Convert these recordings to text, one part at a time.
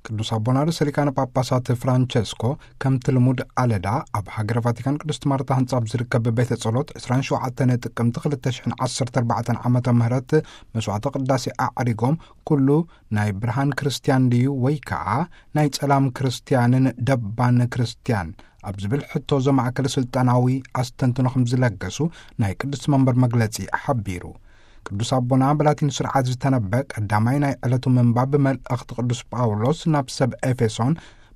ቅዱስ ኣቦና ርእሰ ሊቃነ ጳጳሳት ፍራንቸስኮ፣ ከምቲ ልሙድ ኣለዳ፣ ኣብ ሃገረ ቫቲካን ቅድስት ማርታ ህንጻ ኣብ ዝርከብ ቤተ ጸሎት ዕስራን ሸውዓተን ጥቅምቲ ክልተ ሽሕን ዓሰርተ ኣርባዕተን ዓመተ ምህረት መስዋዕተ ቅዳሴ ኣዕሪጎም፣ ኩሉ ናይ ብርሃን ክርስትያን ድዩ ወይ ከኣ ናይ ጸላም ክርስትያንን ደባን ክርስትያን ኣብ ዝብል ሕቶ ዘማእከለ ስልጣናዊ ኣስተንትኖ ከም ዝለገሱ ናይ ቅዱስ መንበር መግለጺ ሓቢሩ። ቅዱስ ኣቦና ብላቲን ስርዓት ዝተነበ ቀዳማይ ናይ ዕለቱ ምንባብ፣ ብመልእኽቲ ቅዱስ ጳውሎስ ናብ ሰብ ኤፌሶን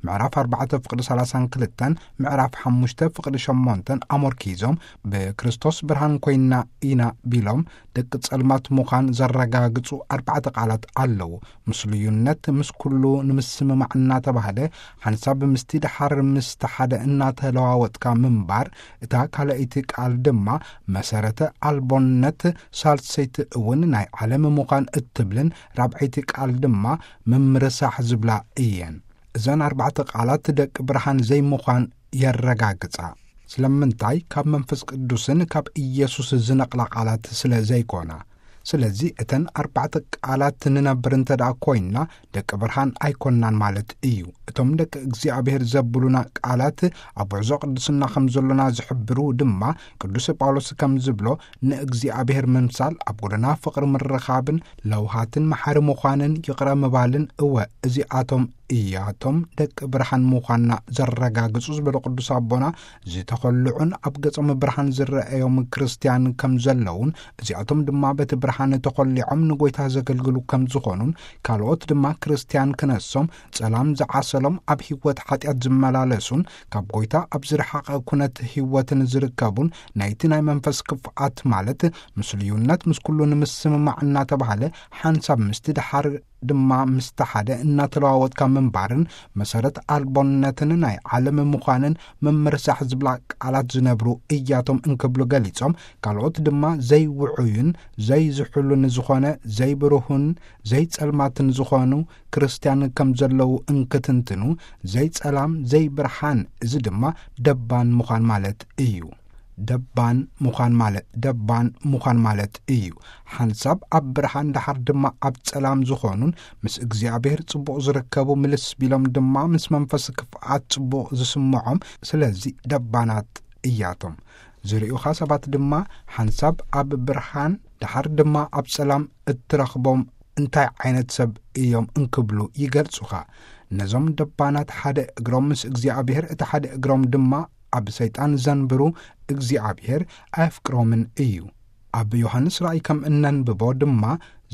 ምዕራፍ ኣርባዕተ ፍቕዲ ሰላሳን ክልተን፣ ምዕራፍ ሓሙሽተ ፍቕዲ ሸሞንተን ኣሞርኪዞም፣ ብክርስቶስ ብርሃን ኮይና ኢና ቢሎም፣ ደቂ ጸልማት ምዃን ዘረጋግጹ ኣርባዕተ ቃላት ኣለዉ። ምስሉዩነት፣ ምስ ኩሉ ንምስምማዕ እናተባህለ፣ ሓንሳብ ምስቲ ደሓር ምስቲ ሓደ እናተለዋወጥካ ምንባር፣ እታ ካልኣይቲ ቃል ድማ መሰረተ ኣልቦነት፣ ሳልሰይቲ እውን ናይ ዓለም ምዃን እትብልን ራብዐይቲ ቃል ድማ ምምርሳሕ ዝብላ እየን። እዘን ኣርባዕተ ቃላት ደቂ ብርሃን ዘይምዃን የረጋግጻ። ስለምንታይ? ካብ መንፈስ ቅዱስን ካብ ኢየሱስ ዝነቕላ ቃላት ስለ ዘይኮና። ስለዚ እተን ኣርባዕተ ቃላት ንነብር እንተ ደኣ ኮይንና፣ ደቂ ብርሃን ኣይኮንናን ማለት እዩ። እቶም ደቂ እግዚኣብሔር ዘብሉና ቃላት ኣብ ጉዕዞ ቅድስና ከም ዘሎና ዝሕብሩ ድማ፣ ቅዱስ ጳውሎስ ከም ዝብሎ፣ ንእግዚኣብሔር ምምሳል፣ ኣብ ጎደና ፍቕሪ ምርኻብን ለውሃትን መሓሪ ምዃንን ይቕረ ምባልን፣ እወ፣ እዚኣቶም እያቶም ደቂ ብርሃን ምዃንና ዘረጋግጹ ዝበሉ ቅዱስ ኣቦና፣ ዝተኸልዑን ኣብ ገጾም ብርሃን ዝረአዮም ክርስትያን ከም ዘለውን፣ እዚኣቶም ድማ በቲ ብርሃን ተኾሊዖም ንጎይታ ዘገልግሉ ከም ዝኾኑን፣ ካልኦት ድማ ክርስትያን ክነሶም ጸላም ዝዓሰሎም ኣብ ህይወት ሓጢኣት ዝመላለሱን ካብ ጎይታ ኣብ ዝረሓቐ ኩነት ህይወትን ዝርከቡን ናይቲ ናይ መንፈስ ክፍኣት ማለት ምስልዩነት ምስ ኩሉ ንምስምማዕ እናተባህለ ሓንሳብ ምስቲ ደሓር ድማ ምስቲ ሓደ እናተለዋወጥካ ምንባርን መሰረት ኣልቦነትን ናይ ዓለም ምዃንን ምምርሳሕ ዝብላ ቃላት ዝነብሩ እያቶም እንክብሉ ገሊጾም፣ ካልኦት ድማ ዘይውዑይን ዘይዝሑሉን ዝኾነ ዘይብሩሁን ዘይጸልማትን ዝኾኑ ክርስትያን ከም ዘለዉ እንክትንትኑ፣ ዘይጸላም ዘይብርሃን፣ እዚ ድማ ደባን ምዃን ማለት እዩ። ደባን ምዃን ማለት፣ ደባን ምዃን ማለት እዩ። ሓንሳብ ኣብ ብርሃን ደሓር ድማ ኣብ ጸላም ዝኾኑን ምስ እግዚኣብሔር ጽቡቕ ዝርከቡ ምልስ ቢሎም ድማ ምስ መንፈስ ክፍኣት ጽቡቕ ዝስምዖም፣ ስለዚ ደባናት እያቶም። ዝርእዩኻ ሰባት ድማ ሓንሳብ ኣብ ብርሃን ደሓር ድማ ኣብ ጸላም እትረኽቦም እንታይ ዓይነት ሰብ እዮም እንክብሉ ይገልጹኻ። ነዞም ደባናት ሓደ እግሮም ምስ እግዚኣብሔር፣ እቲ ሓደ እግሮም ድማ ኣብ ሰይጣን ዘንብሩ፣ እግዚኣብሔር ኣየፍቅሮምን እዩ። ኣብ ዮሃንስ ራእይ ከም እነንብቦ ድማ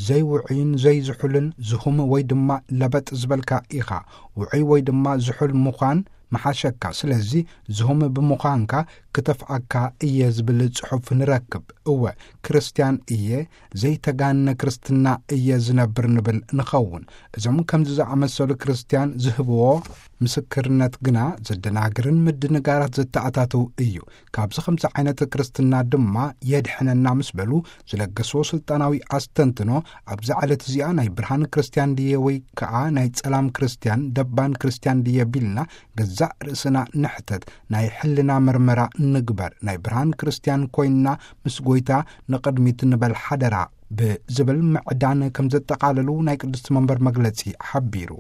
ዘይውዑይን ዘይዝሑልን ዝሁም ወይ ድማ ለበጥ ዝበልካ ኢኻ። ውዑይ ወይ ድማ ዝሑል ምዃን መሓሸካ። ስለዚ ዝሁም ብምዃንካ ክተፍኣካ እየ ዝብል ጽሑፍ ንረክብ። እወ፣ ክርስትያን እየ፣ ዘይተጋነ ክርስትና እየ ዝነብር ንብል ንኸውን። እዞም ከምዚ ዝኣመሰሉ ክርስትያን ዝህብዎ ምስክርነት ግና ዘደናግርን ምድንጋራት ዘተኣታትው እዩ። ካብዚ ከምዚ ዓይነት ክርስትና ድማ የድሕነና ምስ በሉ ዝለገስዎ ስልጣናዊ ኣስተንትኖ፣ ኣብዛ ዕለት እዚኣ ናይ ብርሃን ክርስትያን ድየ ወይ ከኣ ናይ ጸላም ክርስትያን፣ ደባን ክርስትያን ድየ ቢልና ገዛእ ርእስና ንሕተት፣ ናይ ሕልና መርመራ ንግበር፣ ናይ ብርሃን ክርስትያን ኮይንና ምስ ጎይታ ንቕድሚት ንበል ሓደራ ብዝብል ምዕዳን ከም ዘጠቓለሉ ናይ ቅድስቲ መንበር መግለጺ ሓቢሩ።